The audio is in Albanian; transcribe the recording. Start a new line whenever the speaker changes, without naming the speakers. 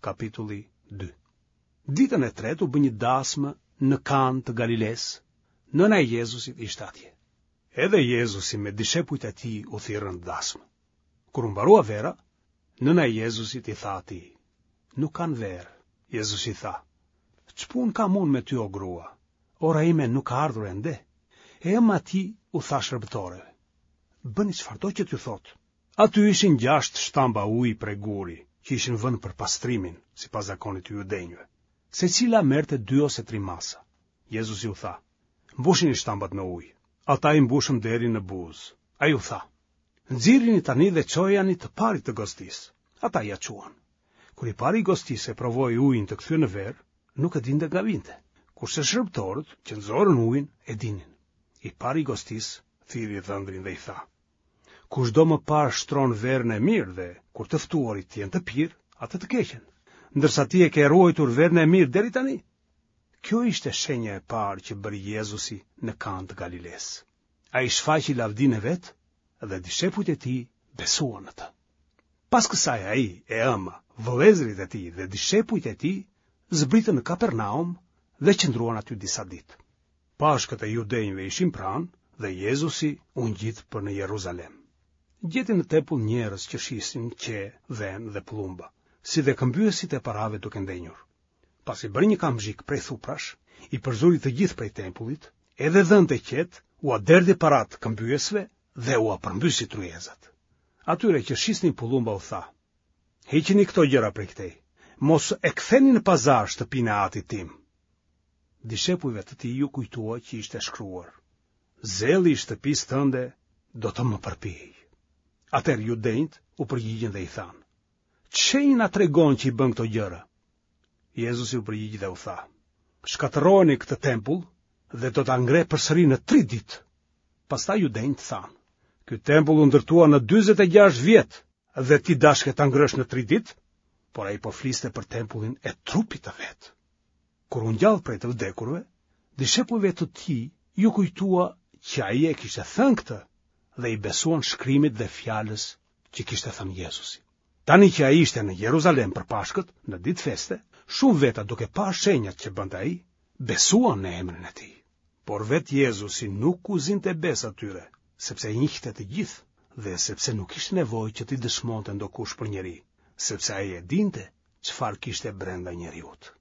Kapitulli 2 Ditën e tretë u bë një dasmë në Kanë të Galilesë, nëna e Jezusit ishte atje. Edhe Jezusi me dishepujt e tij u thirrën në dasmë. Kur u mbarua vera, nëna e Jezusit i tha atij, nuk kanë verë. Jezusi i tha, ç'punë kam unë me ty o grua, ora ime nuk ka ardhur ende. E ëma e tij u tha shërbëtoreve, bëni çfarëdo që t'ju thotë. Aty ishin gjashtë shtamba uji prej guri, që ishin vënë për pastrimin, sipas zakonit të judenjve. Secila merrte dy ose tri masa. Jezusi u tha, mbushini shtambat me ujë. Ata i mbushën deri në buzë. Ai u tha, nxirrini tani dhe çojani të parit të gostisë. Ata ia çuan. Kur i pari i gostisë e provoi ujin të kthyer në verë, nuk e dinte nga vinte, kurse shërbëtorët që nxorën ujin e dinin. I pari i gostisë thirri dhëndrin dhe i tha, Kushdo më parë shtron verën e mirë dhe, kur të ftuarit të jenë të pirë, atë të keqen, ndërsa ti e ke ruajtur verën e mirë deri tani. Kjo ishte shenja e parë që bëri Jezusi në Kanë të Galilesë. Ai shfaqi lavdinë e vet dhe dishepujt e tij besuan në të. Pas kësaj ai, e ëma, vëllezërit e tij dhe dishepujt e tij zbritën në Kapernaum dhe qëndruan aty disa ditë. Pashkët e judenjve ishin pranë dhe Jezusi u ngjit për në Jeruzalem. Gjeti në tempull njerëz që shisnin qe, dhen dhe pëllumba, si dhe këmbyesit e parave duke ndenjur. Pasi bëri një kamxhik prej thuprash, i përzuri të gjithë prej tempullit, edhe dhentë e qetë, ua derdhi paratë këmbyesve dhe ua përmbysi tryezat. Atyre që shisnin pëllumba u tha, Hiqini këto gjëra prej këtej, mos e ktheni në pazar shtëpinë e atit tim. Dishepujve të tij iu kujtua që ishte shkruar, Zelli i shtëpisë tënde do të më përpijë. Atëherë judenjtë u përgjigjën dhe i thanë, Ç'shenjë na tregon që i bën këto gjëra? Jezusi u përgjigj dhe u tha, Shkatërrojeni këtë tempull dhe do ta ngre përsëri në tri ditë. Pastaj judenjtë thanë, Ky tempull u ndërtua në 46 vjet dhe ti dashke ta ngrësh në tri ditë? Por ai po fliste për tempullin e trupit të vet. Kur u ngjall prej të vdekurve, dishepujve të tij iu kujtua që ai e kishte thënë këtë dhe i besuan shkrimit dhe fjalës që kishte thënë Jezusi. Tani që ai ishte në Jeruzalem për Pashkët, në ditë feste, shumë veta duke parë shenjat që bënte ai, besuan në emrin e tij. Por vetë Jezusi nuk u zinte besë atyre, sepse i njihte të gjithë dhe sepse nuk kishte nevojë që t'i dëshmonte ndokush për njeri, sepse ai e dinte çfarë kishte brenda njeriut.